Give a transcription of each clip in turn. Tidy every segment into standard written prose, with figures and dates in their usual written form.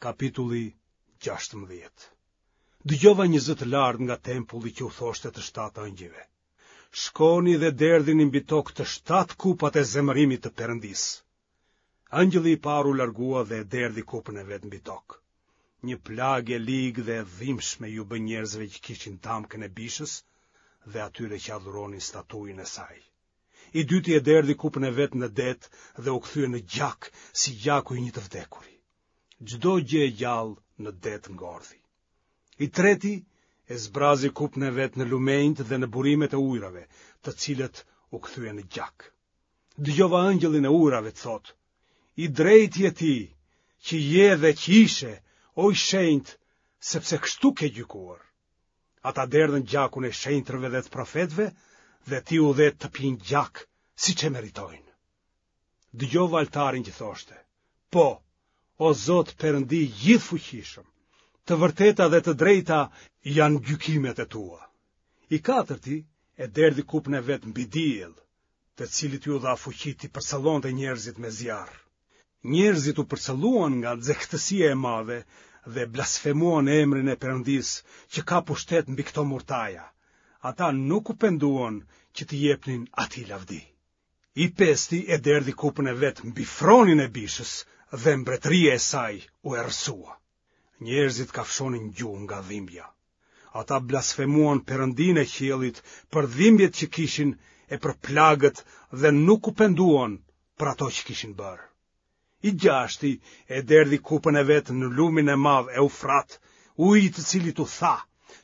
Kapitulli 16 Dëgjova një zë të lartë nga tempulli që u thoshte të shtatë ëngjëjve. Shkoni dhe derdhini mbi tokë të shtatë kupat e zemërimit të Perëndisë. Ëngjëlli i parë u largua dhe e derdhi kupën e vet mbi tokë. Një plagë e ligë dhe e dhimbshme iu bë njerëzve që kishin damkën e bishës dhe atyre që adhuronin statujën e saj. I dyti e derdhi kupën e vet në det dhe u kthye në gjak si gjaku i një të vdekuri. Çdo gjë e gjallë në det ngordhi. I treti e zbrazi kupën e vet në lumenjtë dhe në burimet e ujërave, të cilët u kthyen në gjak. Dëgjova ëngjëllin e ujërave të thotë, i drejtë je ti, që je dhe që ishe, o i shenjtë, sepse kështu ke gjykuar. Ata derdhën gjakun e shenjtërve dhe të profetëve dhe ti u dhe të pinë gjak, siç e meritojnë. Dëgjova altarin që thoshte, po, o Zot Perëndi i gjithëfuqishëm, të vërteta dhe të drejta janë gjykimet e tua. I katërti e derdhi kupën e vet mbi diell, të cilit iu dha fuqi t'i përcëllonte njerëzit me zjarr. Njerëzit u përcëlluan nga nxehtësia e madhe dhe blasfemuan emrin e Perëndisë që ka pushtet mbi këto murtaja. Ata nuk u penduan që t'i jepnin atij lavdi. I pesti e derdhi kupën e vet mbi fronin e bishës dhe mbretëria e saj u errësua. Njerëzit kafshonin gjuhë nga dhimbja. Ata blasfemuan Perëndinë e qiellit për dhimbjet që kishin e për plagët dhe nuk u penduan për ato që kishin bërë. I gjashti e derdhi kupën e vet në lumin e madh Eufrat, uji i të cilit u tha,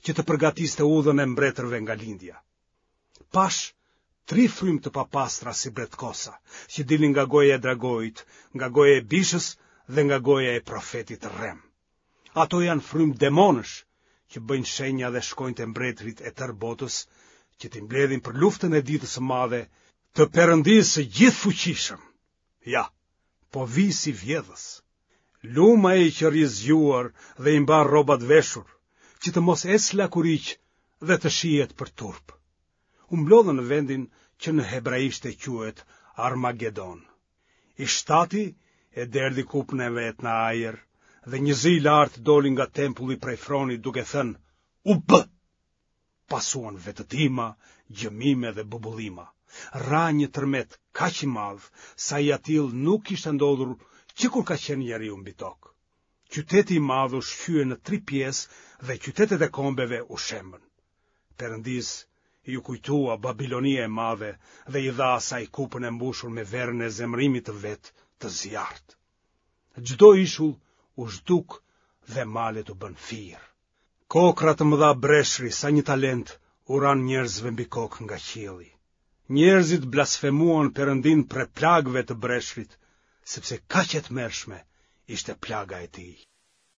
që të përgatiste udhën e mbretërve nga lindja. Pashë tri frymë të papastra si bretkosa, që dilnin nga goja e dragoit, nga goja e bishës dhe nga goja e profetit të rremë. Ato janë frymë demonësh që bëjnë shenja dhe shkojnë te mbretërit e tërë botës që t'i mbledhin për luftën e ditës së madhe të Perëndisë së gjithëfuqishëm. Ja, po vij si vjedhës. Lum ai që rri zgjuar dhe i mban rrobat veshur, që të mos ecë lakuriq dhe të shihet për turp. U mblodhën në vendin që në hebraishte quhet Armagedon. I shtati e derdhi kupën e vet në ajër dhe një zë i lartë doli nga tempulli prej fronit duke thënë, u bë! Pasuan vetëtima, gjëmime dhe bubullima. Ra një tërmet kaq i madh, sa i atillë nuk kishte ndodhur që kur ka qenë njeriu mbi tokë. Qyteti i madh u shqye në tri pjesë dhe qytetet e kombeve u shembën. Perëndisë iu kujtua Babilonia e madhe dhe i dha asaj kupën e mbushur me verën e zemërimit të vet të zjarrtë. Çdo ishull u zhduk dhe malet u bënë firë. Kokrra të mëdha breshri sa një talent u ranë njerëzve mbi kokë nga qielli. Njerëzit blasfemuan Perëndinë prej plagëve të breshrit, sepse kaq e tmerrshme ishte plaga e tij.